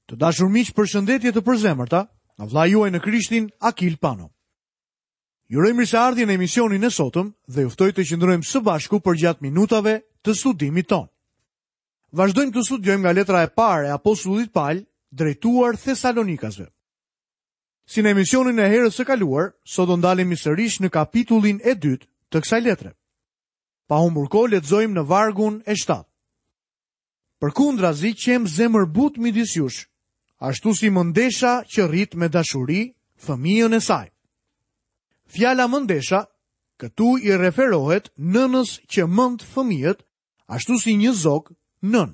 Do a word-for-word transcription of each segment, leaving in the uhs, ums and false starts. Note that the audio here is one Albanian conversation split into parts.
Të dashur miq, përshëndetje të përzemërta nga vëllai juaj në Krishtin, Akil Pano. Ju uroj mirëseardhjen në emisionin e sotëm dhe ju ftoj të qëndrojmë së bashku përgjatë minutave të studimit tonë. Vazhdojmë të studiojmë nga letra e parë e apostullit Paul drejtuar Thesalonikasve. Si në emisionin e herës së kaluar, sot do ndalemi sërish në kapitullin e dytë të kësaj letre. Pa humbur kohë, lexojmë në vargun e shtatë. Përkundrazi qem zemërbut midis jush, ashtu si mëndesha që rrit me dashuri fëmijën e saj. Fjala mëndesha këtu i referohet nënës që mend fëmijët, ashtu si një zog nën.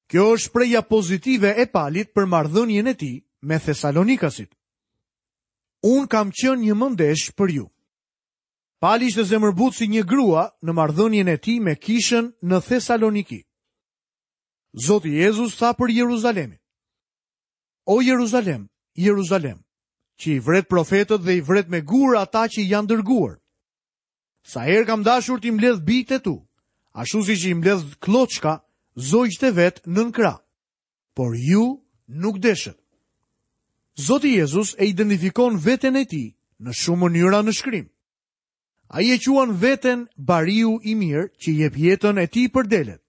Kjo është shprehja pozitive e Palit për marrëdhënien e tij me Thesalonikasit. Unë kam qenë një mëndesh për ju. Pali ishte zemërbut si një grua në marrëdhënien e tij me kishën në Thesaloniki. Zoti Jezus tha për Jeruzalemin: O Jeruzalem, Jeruzalem, që i vret profetët dhe i vret me gur ata që janë dërguar. Sa herë kam dashur t'i mbledh bijtë e tu, ashtu siç i mbledh klloçka zogjtë e vet nën krah, por ju nuk deshët. Zoti Jezus e identifikon veten e tij në shumë mënyra në shkrim. Ai e quan veten bariu i mirë që jep jetën e tij për delet.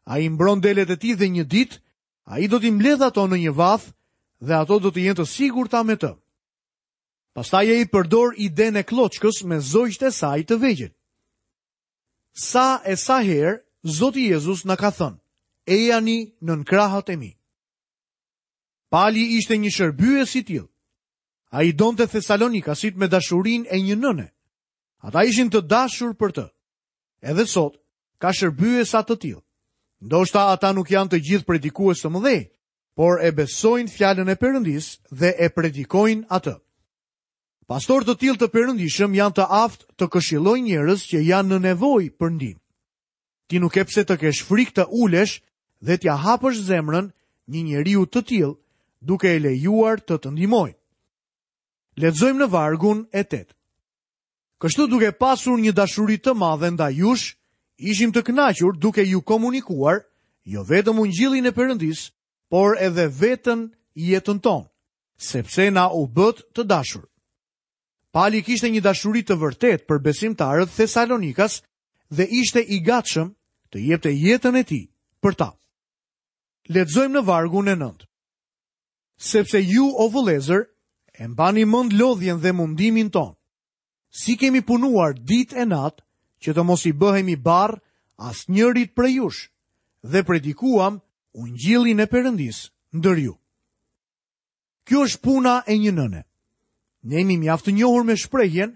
Ai mbron delet e tij dhe një ditë ai do t'i mbledh ato në një vath dhe ato do të jenë të sigurta me të. Pastaj ai përdor idenë e klloçkës me zogjtë e saj të vegjël. Sa e sa herë Zoti Jezus na ka thënë: "Ejani nën krahët e mi." Pali ishte një shërbyes i tillë. Ai donte Thesalonikasit me dashurinë e një nëne. Ata ishin të dashur për të. Edhe sot ka shërbyesa të tillë. Ndoshta ata nuk janë të gjithë predikues të mëdhenj, por e besojnë fjalën e Perëndisë dhe e predikojnë atë. Pastorë të tillë të perëndishëm janë të aftë të këshillojnë njerëz që janë në nevojë për ndihmë. Ti nuk ke pse të kesh frikë të ulesh dhe t'ia hapësh zemrën një njeriu të tillë, duke e lejuar të të ndihmojë. Lexojmë në vargun e tetë. Kështu duke pasur një dashuri të madhe ndaj jush, ishim të kënaqur duke ju komunikuar jo vetëm ungjillin e Perëndisë, por edhe vetën jetën tonë, sepse na u bët të dashur. Pali kishte një dashuri të vërtetë për besimtarët Thesalonikas dhe ishte i gatshëm të jepte jetën e tij për ta. Lexojmë në vargun e nëntë. Sepse ju, o vëllezër, e mbani mend lodhjen dhe mundimin tonë. Si kemi punuar ditë e natë që të mos i bëhemi barr asnjërit prej jush, dhe predikuam ungjillin e Perëndisë ndër ju. Kjo është puna e një nëne. Ne jemi mjaft të njohur me shprehjen,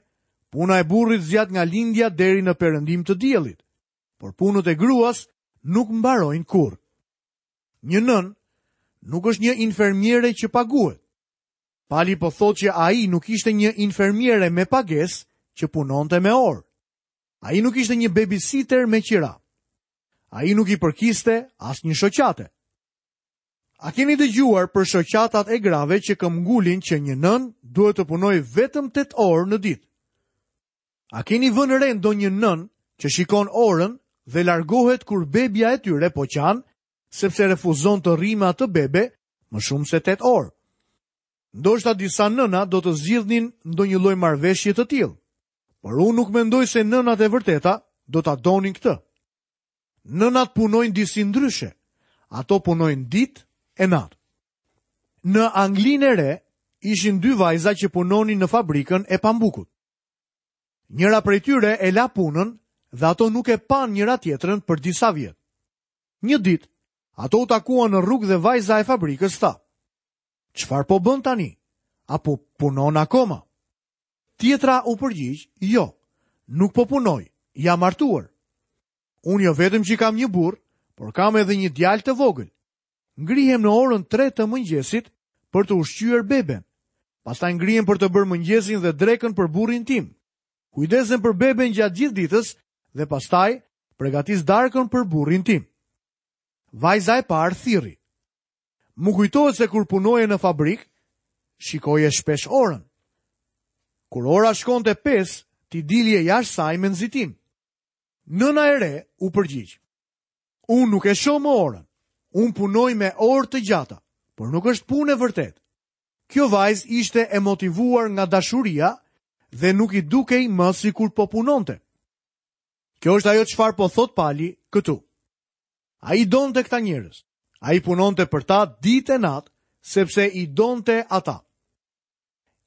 puna e burrit zgjat nga lindja deri në perëndim të diellit, por punët e gruas nuk mbarojnë kurrë. Një nënë nuk është një infermiere që paguhet. Pali po thotë që ai nuk ishte një infermiere me pagesë që punonte me orë. Ai nuk ishte një babysitter me qira. Ai nuk i përkiste asnjë shoqate. A keni dëgjuar për shoqatat e grave që këmbgulin që një nënë duhet të punojë vetëm tetë orë në ditë? A keni vënë re ndonjë nënë që shikon orën dhe largohet kur bebja e tyre po qan, sepse refuzon të rrijë me atë bebe më shumë se tetë orë? Ndoshta disa nëna do të zgjidhnin ndonjë lloj marrëveshje të tillë, por unë nuk mendoj se nënat e vërteta do ta donin këtë. Nënat punojnë disi ndryshe. Ato punojnë ditë e natë. Në Anglinë e Re ishin dy vajza që punonin në fabrikën e pambukut. Njëra prej tyre e la punën dhe ato nuk e panë njëra tjetrën për disa vjet. Një ditë, ato u takuan në rrugë dhe vajza e fabrikës tha: "Çfarë po bën tani? Apo punon akoma?" Tjetra u përgjigj: "Jo, nuk po punoj, jam martuar. Unë jo vetëm që kam një burr, por kam edhe një djalë të vogël. Ngrihem në orën tre të mëngjesit për të ushqyer beben. Pastaj ngrihem për të bërë mëngjesin dhe drekën për burrin tim. Kujdesem për beben gjatë gjithë ditës dhe pastaj përgatis darkën për burrin tim." Vajza e parë thirri: "Më kujtohet se kur punoje në fabrikë, shikoje shpesh orën. Kur ora shkonte pesë, ti dilje jashtë saj me nxitim." Nëna e re u përgjigj: "Unë nuk e shoh më orën. Unë punoj me orë të gjata, por nuk është punë e vërtetë. Kjo vajzë ishte e motivuar nga dashuria dhe nuk i dukej më sikur po punonte. Kjo është ajo çfarë po thot Pali këtu. Ai donte këta njerëz. Ai punonte për ta ditë e natë, sepse i donte ata.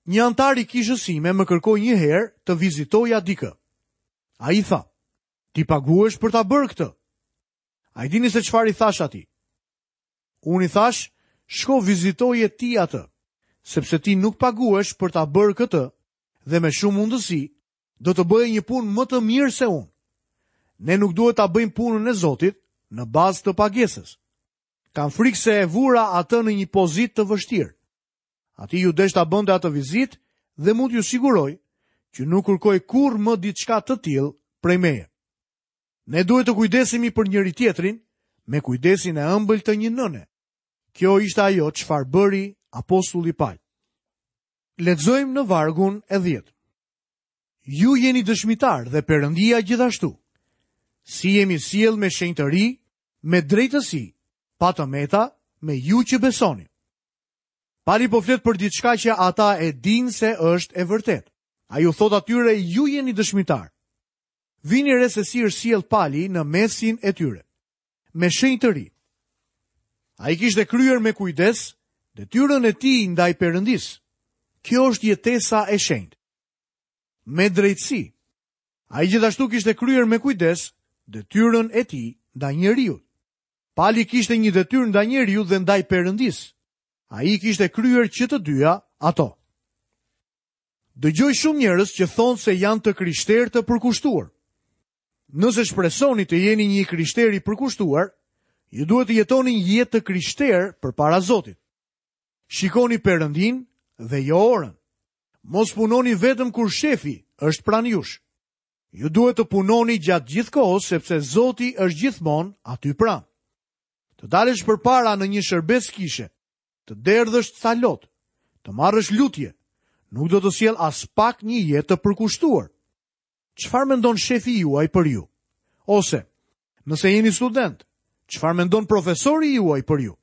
Një anëtar i kishës sime më kërkoi një herë të vizitoja dikë. Ai tha, ti paguhesh për ta bërë këtë. A i dini se çfarë i thash atij? Unë i thash, shko vizitoje ti atë, sepse ti nuk paguhesh për ta bërë këtë dhe me shumë mundësi do të bëje një punë më të mirë se unë. Ne nuk duhet ta bëjmë punën e Zotit në bazë të pagesës. Kam frikë se e vura atë në një pozitë të vështirë. Atij iu desh ta bënte atë vizitë dhe mund t'ju siguroj që nuk kërkoi kurrë më diçka të tillë prej meje. Ne duhet të kujdesemi për njëri tjetrin me kujdesin e ëmbël të një nëne. Kjo ishte ajo çfarë bëri apostulli Pal. Lexojmë në vargun e dhjetë. Ju jeni dëshmitar dhe Perëndia gjithashtu. Si jemi sjell me shenjtëri, me drejtësi, pa të meta, me ju që besoni. Pali po flet për diçka që ata e dinë se është e vërtetë. Ai u thot atyre, ju jeni dëshmitar. Vini re se si është sjell Pali në mesin e tyre, me shenjtëri. Ai kishte kryer me kujdes detyrën e tij ndaj Perëndisë. Kjo është jetesa e shenjtë. Me drejtësi. Ai gjithashtu kishte kryer me kujdes detyrën e tij ndaj njeriut. Pali kishte një detyrë ndaj njeriut dhe ndaj Perëndisë. Ai kishte kryer që të dyja ato. Dëgjoj shumë njerëz që thonë se janë të krishterë të përkushtuar. Nëse shpresoni të jeni një krishter i përkushtuar, ju duhet të jetoni një jetë të krishterë përpara Zotit. Shikoni Perëndin dhe jo orën. Mos punoni vetëm kur shefi është pranë jush. Ju duhet të punoni gjatë gjithë kohës, sepse Zoti është gjithmonë aty pranë. Të dalësh përpara në një shërbes kishe, të derdhësh ca lot, të marrësh lutje, nuk do të sjell as pak një jetë të përkushtuar. Çfarë mendon shefi juaj për ju? Ose, nëse jeni student, çfarë mendon profesori juaj për ju?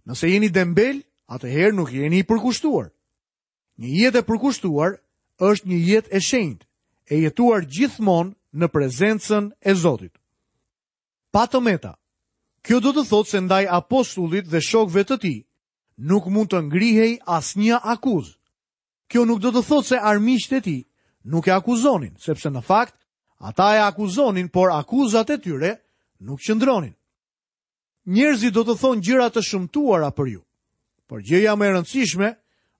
Nëse jeni dembel, atëherë nuk jeni i përkushtuar. Një jetë e përkushtuar është një jetë e shenjtë, e jetuar gjithmonë në prezencën e Zotit. Pa të meta. Kjo do të thotë se ndaj apostullit dhe shokëve të tij nuk mund të ngrihej asnjë akuzë. Kjo nuk do të thotë se armiqtë e tij nuk e akuzonin, sepse në fakt ata e akuzonin, por akuzat e tyre nuk qëndronin. Njerëzit do të thonë gjëra të shëmtuara për ju, por gjëja më e rëndësishme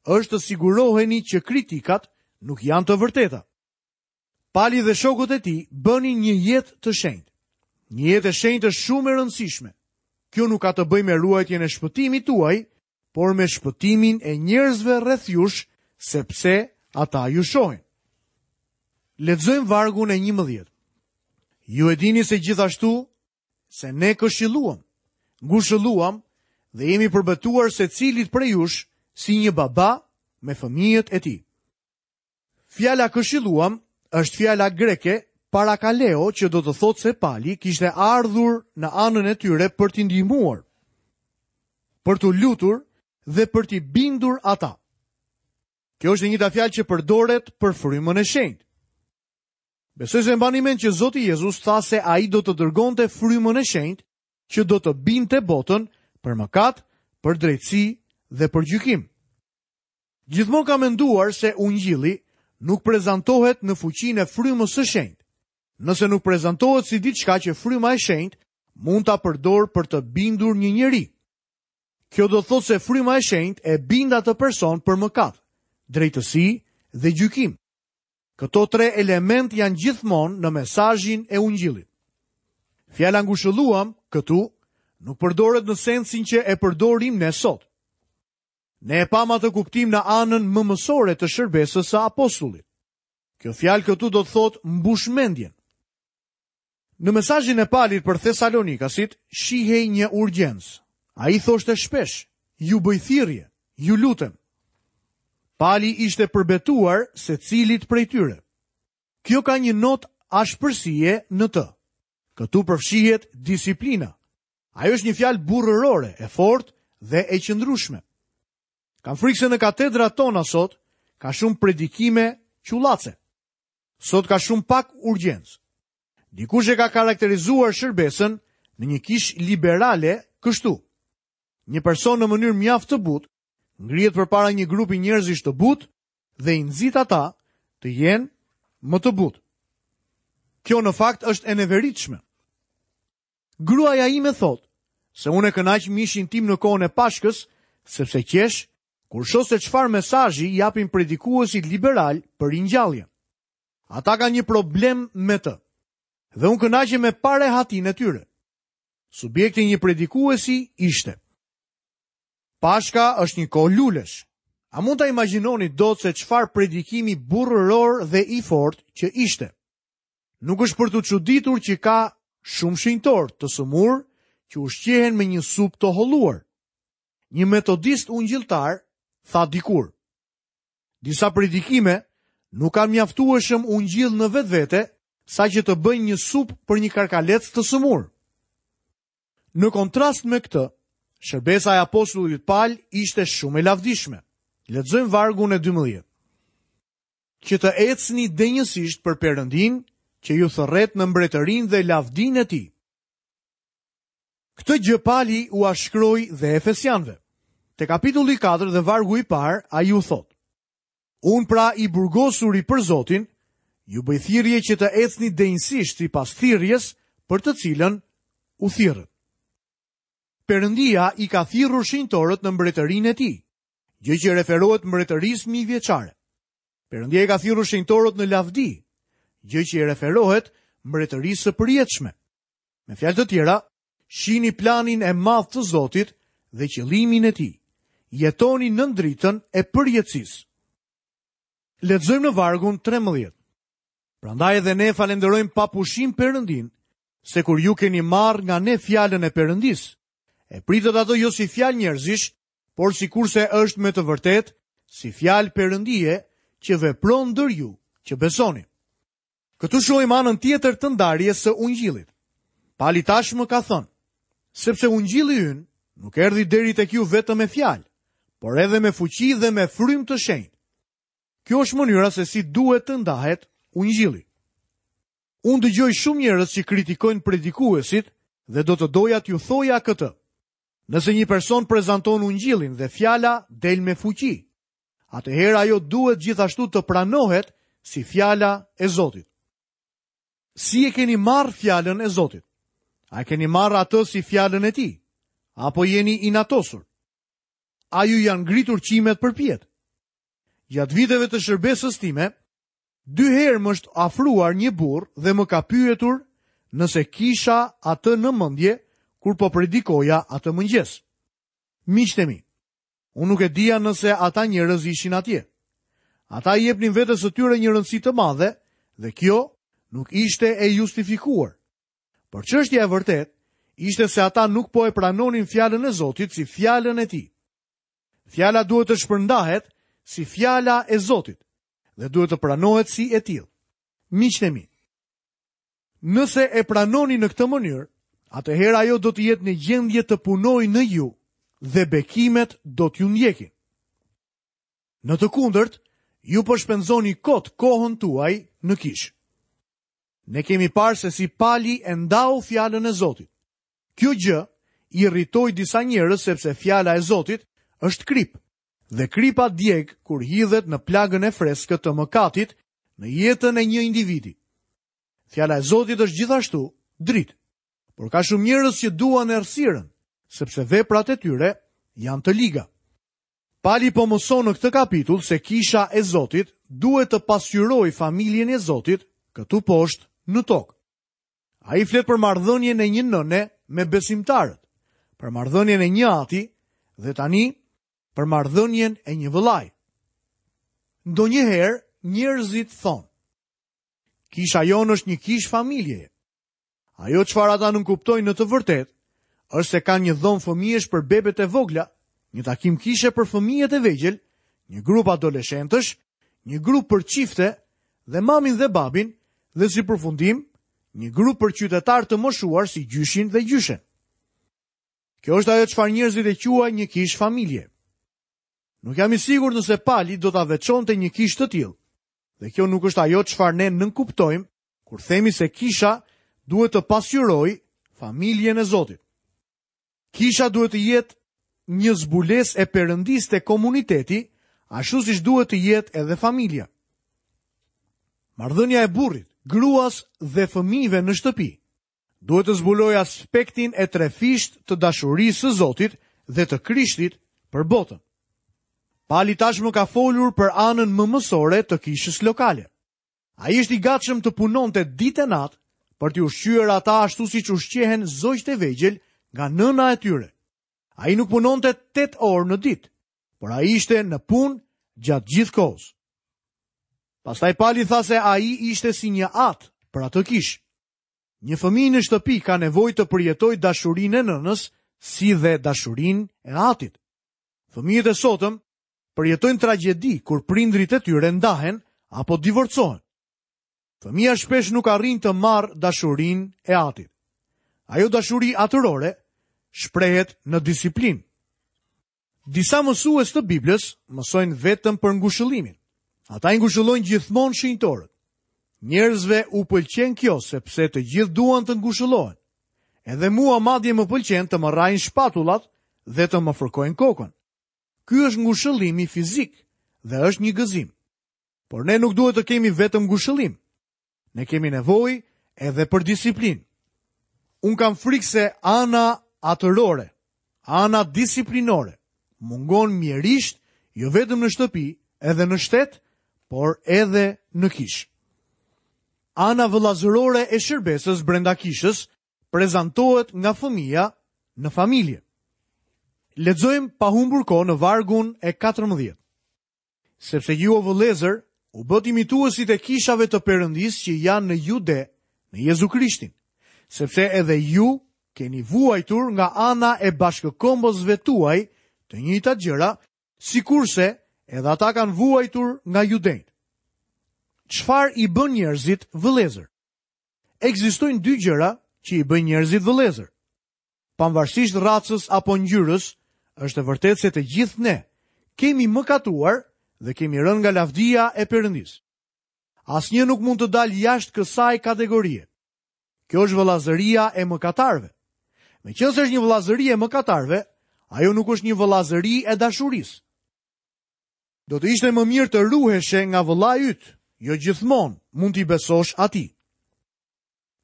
është të siguroheni që kritikat nuk janë të vërteta. Pali dhe shokët e tij bënin një jetë të shenjtë. Një jetë e shenjtë është shumë e rëndësishme. Kjo nuk ka të bëjë me ruajtjen e shpëtimit tuaj, por me shpëtimin e njerëzve rreth jush, sepse ata ju shohin. Lexojmë vargun e njëmbëdhjetë. Ju e dini se gjithashtu se ne këshilluam, ngushëlluam dhe jemi përbetuar secilit prej jush si një baba me fëmijët e tij. Fjala këshilluam është fjala greke parakaleo, që do të thotë se Pali kishte ardhur në anën e tyre për t'i ndihmuar, për t'u lutur dhe për t'i bindur ata. Kjo është e njëjta fjalë që përdoret për frymën e shenjtë. Besoj se mbani mend që Zoti Jezus tha se ai do të dërgonte frymën e shenjtë që do të binte botën për mëkat, për drejtësi dhe për gjykim. Gjithmonë kam menduar se ungjilli nuk prezantohet në fuqinë e frymës së shenjtë. Nëse nuk prezantohet si diçka që fryma e shenjtë mund ta përdor për të bindur një njeri. Kjo do të thotë se fryma e shenjtë e bind atë person për mëkat, drejtësi dhe gjykim. Këto tre element janë gjithmonë në mesazhin e ungjillit. Fjala ngushëlluam këtu nuk përdoret në sensin që e përdorim ne sot. Ne e pam atë kuptim në anën më mësore të shërbesës së apostullit. Kjo fjalë këtu do të thotë mbush mendjen. Në mesazhin e Palit për Thesalonikasit shihej një urgjencë. Ai thoshte shpesh, ju bëj thirrje, ju lutem. Pali ishte përbetuar secilit prej tyre. Kjo ka një notë ashpërsie në të. Këtu përfshihet disiplina. Ajo është një fjalë burrërore, e fortë dhe e qëndrueshme. Kam frikë se në katedrat tona sot ka shumë predikime qullace. Sot ka shumë pak urgjencë. Dikush e ka karakterizuar shërbesën në një kishë liberale kështu. Një person në mënyrë mjaft të butë ngrihet përpara një grupi njerëzish të butë dhe i nxit ata të jenë më të butë. Kjo në fakt është e neveritshme. Gruaja ime thotë se unë e kënaq mishin tim në kohën e Pashkës, sepse qesh kur shoh se çfarë mesazhi japin predikuesit liberal për ringjalljen. Ata kanë një problem me të. Dhe unë kënaqem me parehatinë e tyre. Subjekti i një predikuesi ishte: Pashka është një kohë lulesh. A mund ta imagjinoni dot se çfarë predikimi burrëror dhe i fortë që ishte? Nuk është për t'u çuditur që ka shumë shenjtor të sëmur që ushqehen me një supë të holluar. Një metodist ungjilltar tha dikur: Disa predikime nuk kanë mjaftueshëm ungjill në vetvete, sa që të bëjnë një supë për një karkalec të sëmur. Në kontrast me këtë, shërbesa e apostullit Pal ishte shumë e lavdishme. Lexojmë vargun e dymbëdhjetë. Që të ecni denjësisht për Perëndin, që ju thërret në mbretërinë dhe lavdinë e tij. Këtë gjë Pali ua shkroi dhe Efesianëve. Te kapitulli katër dhe vargu i parë, ai u thotë: Unë pra i burgosuri për Zotin, ju bëj thirrje që të ecni denjësisht sipas thirrjes për të cilën u thirrët. Perëndia i ka thirrur shenjtorët në mbretërinë e tij, gjë që referohet mbretërisë mijëvjeçare. Perëndia i ka thirrur shenjtorët në lavdi, gjë që i referohet mbretërisë së përjetshme. Me fjalë të tjera, shihni planin e madh të Zotit dhe qëllimin e tij. Jetoni nën dritën e përjetësisë. Lexojmë në vargun trembëdhjetë. Prandaj edhe ne falenderojmë pa pushim Perëndin, se kur ju keni marrë nga ne fjalën e Perëndisë, e pritët ato jo si fjalë njerëzish, por sikurse është me të vërtetë, si fjalë Perëndie që vepron ndër ju që besoni. Këtu shohim anën tjetër të ndarjes së ungjillit. Pali tashmë ka thënë, sepse ungjilli ynë nuk erdhi deri tek ju vetëm me fjalë, por edhe me fuqi dhe me frymë të shenjtë. Kjo është mënyra se si duhet të ndahet ungjilli. Unë dëgjoj shumë njerëz që kritikojnë predikuesit dhe do të doja t'ju thoja këtë. Nëse një person prezanton ungjillin dhe fjala del me fuqi, atëherë ajo duhet gjithashtu të pranohet si fjala e Zotit. Si e keni marrë fjalën e Zotit? A e keni marrë atë si fjalën e tij? Apo jeni inatosur? A ju janë ngritur qimet përpjetë? Gjatë viteve të shërbesës time, dy herë më është afruar një burr dhe më ka pyetur nëse kisha atë në mendje kur po predikoja atë mëngjes. Miqtë e mi, unë nuk e dija nëse ata njerëz ishin atje. Ata i jepnin vetes së tyre një rëndësi të madhe dhe kjo nuk ishte e justifikuar. Por çështja e vërtetë ishte se ata nuk po e pranonin fjalën e Zotit si fjalën e tij. Fjala duhet të shpërndahet si fjala e Zotit dhe duhet të pranohet si e tillë. Miqtë e mi, nëse e pranoni në këtë mënyrë, atëherë ajo do të jetë në gjendje të punojë në ju dhe bekimet do t'ju ndjekin. Në të kundërt, ju po shpenzoni kot kohën tuaj në kishë. Ne kemi parë se si Pali e ndau fjalën e Zotit. Kjo gjë irritoi disa njerëz sepse fjala e Zotit është krip, dhe kripa djeg kur hidhet në plagën e freskët të mëkatit në jetën e një individi. Fjala e Zotit është gjithashtu dritë, por ka shumë njerëz që duan errësirën, sepse veprat e tyre janë të liga. Pali po mëson në këtë kapitull se kisha e Zotit duhet të pasqyrojë familjen e Zotit këtu poshtë në tokë. Ai flet për marrëdhënien e një nëne me besimtarët, për marrëdhënien e një ati dhe tani për marrëdhënien e një vëllai. Ndonjëherë njerëzit thonë, kisha jonë është një kishë familjeje. Ajo çfarë ata nuk kuptojnë në të vërtetë është se kanë një dhomë fëmijësh për bebet e vogla, një takim kishe për fëmijët e vegjël, një grup adoleshentësh, një grup për çifte dhe mamin dhe babin, dhe si përfundim, një grup për qytetarë të moshuar si gjyshin dhe gjyshen. Kjo është ajo çfarë njerëzit e quajnë një kishë familje. Nuk jam i sigurt nëse Pali do ta veçonte një kishë të tillë. Dhe kjo nuk është ajo çfarë ne nënkuptojmë kur themi se kisha duhet të pasqyrojë familjen e Zotit. Kisha duhet të jetë një zbulesë e Perëndisë te komuniteti, ashtu siç duhet të jetë edhe familja. Marrëdhënia e burrit, gruas dhe fëmijëve në shtëpi duhet të zbulojë aspektin e trefisht të dashurisë së Zotit dhe të Krishtit për botën. Pali tashmë ka folur për anën mëmësore të kishës lokale. Ai është i gatshëm të punonte ditë e natë për t'i ushqyer ata ashtu siç ushqehen zogjtë e vegjël nga nëna e tyre. Ai nuk punonte tetë orë në ditë, por ai ishte në punë gjatë gjithë kohës. Pastaj Pali tha se ai ishte si një atë për atë kishë. Një fëmijë në shtëpi ka nevojë të përjetojë dashurinë e nënës si dhe dashurinë e atit. Fëmijët e sotëm përjetojnë tragjedi kur prindrit e tyre ndahen apo divorcohen. Fëmija shpesh nuk arrin të marrë dashurinë e atit. Ajo dashuri atërore shprehet në disiplinë. Disa mësues të Biblës mësojnë vetëm për ngushëllimin. Ata i ngushëllojnë gjithmonë shenjtorët. Njerëzve u pëlqen kjo sepse të gjithë duan të ngushëllohen. Edhe mua madje më pëlqen të më rrahin shpatullat dhe të më fërkojnë kokën. Ky është ngushëllimi fizik dhe është një gëzim. Por ne nuk duhet të kemi vetëm ngushëllim. Ne kemi nevojë edhe për disiplinë. Unë kam frikë se ana atërore, ana disiplinore, mungon mjerisht jo vetëm në shtëpi, edhe në shtet, por edhe në kishë. Ana vëllazërore e shërbesës brenda kishës prezantohet nga fëmija në familje. Lexojmë pa humbur kohë në vargun e katërmbëdhjetë. Sepse ju, o vëllezër, u bët imituesit e kishave të Perëndisë që janë në Jude, në Jezu Krishtin, sepse edhe ju keni vuajtur nga ana e bashkëkombësve tuaj të njëjtat gjëra, sikurse edhe ata kanë vuajtur nga judenjtë. Çfarë i bën njerëzit vëllezër? Ekzistojnë dy gjëra që i bëjnë njerëzit vëllezër. Pavarësisht racës apo ngjyrës, është e vërtetë se të gjithë ne kemi mëkatuar dhe kemi rënë nga lavdia e Perëndisë. Asnjë nuk mund të dalë jashtë kësaj kategorie. Kjo është vëllazëria e mëkatarëve. Meqenëse është një vëllazëri e mëkatarëve, ajo nuk është një vëllazëri e dashurisë. Do të ishte më mirë të ruheshe nga vëllai yt, jo gjithmonë mund t'i besosh atij.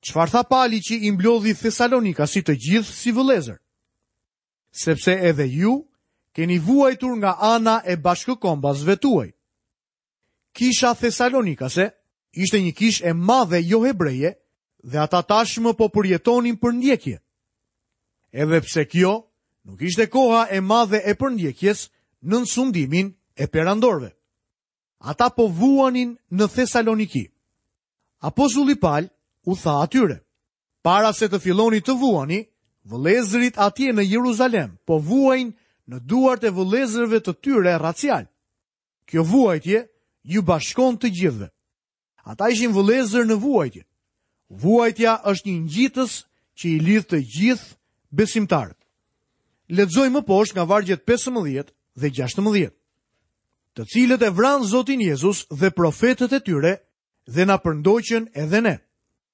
Çfarë tha Pali që i mblodhi Thesalonikasi të gjithë si vëllezër? Sepse edhe ju keni vuajtur nga ana e bashkëkombasve tuaj. Kisha Thesalonikase ishte një kishë e madhe jo hebreje dhe ata tashmë po përjetonin përndjekje. Edhe pse kjo nuk ishte koha e madhe e përndjekjes nën sundimin e perandorëve. Ata po vuanin në Thesaloniki. Apostulli Pal u tha atyre: para se të filloni të vuani, vëllezërit atje në Jeruzalem po vuajnë në duart e vëllezërve të tyre racial. Kjo vuajtje ju bashkon të gjithëve. Ata ishin vëllezër në vuajtje. Vuajtja është një ngjitës që i lidh të gjithë besimtarët. Lexojmë më poshtë nga vargjet pesëmbëdhjetë dhe gjashtëmbëdhjetë. Të cilët e vranë Zotin Jezus dhe profetët e tyre dhe na përndoqën edhe ne.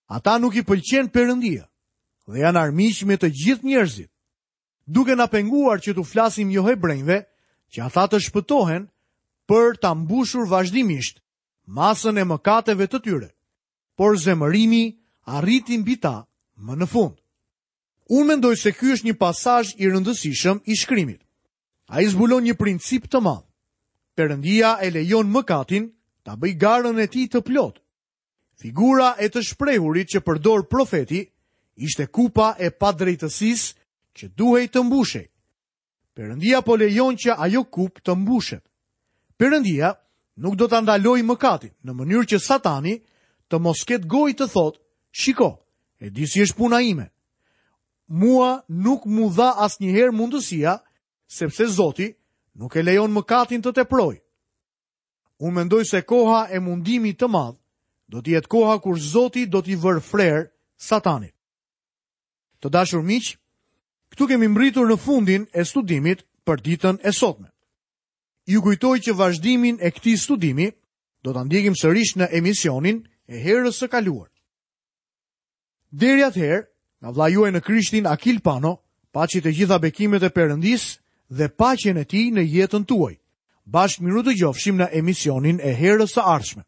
Ata nuk i pëlqen Perëndia dhe janë armiq me të gjithë njerëzit, duke na penguar që t'u flasim jo hebrejve, që ata të shpëtohen për ta mbushur vazhdimisht masën e mëkateve të tyre. Por zemërimi arriti mbi ta më në fund. Unë mendoj se ky është një pasazh i rëndësishëm i shkrimit. Ai zbulon një princip të madh. Perëndia e lejon mëkatin ta bëj garën e tij të plotë. Figura e të shprehurit që përdor profeti ishte kupa e padrejtësisë që duhej të mbushej. Perëndia po lejon që ajo kupë të mbushet. Perëndia nuk do ta ndalojë mëkatin, në mënyrë që Satani të mos ketë gojë të thotë: "Shiko, e di si është puna ime. Mua nuk mu dha asnjëherë mundësia, sepse Zoti nuk e lejon mëkatin të teprojë." Unë mendoj se koha e mundimit të madh do të jetë koha kur Zoti do t'i vërë frer Satanit. Të dashur miq, Këtu kemi mbërritur në fundin e studimit për ditën e sotme. Ju kujtoj që vazhdimin e këtij studimi do ta ndjekim sërish në emisionin e herës së kaluar. Deri atëherë, nga vëllai juaj në Krishtin Akil Pano, paçi të gjitha bekimet e Perëndisë dhe paqen e tij në jetën tuaj. Bashkë mirudëgjofshim në emisionin e herës së ardhshme.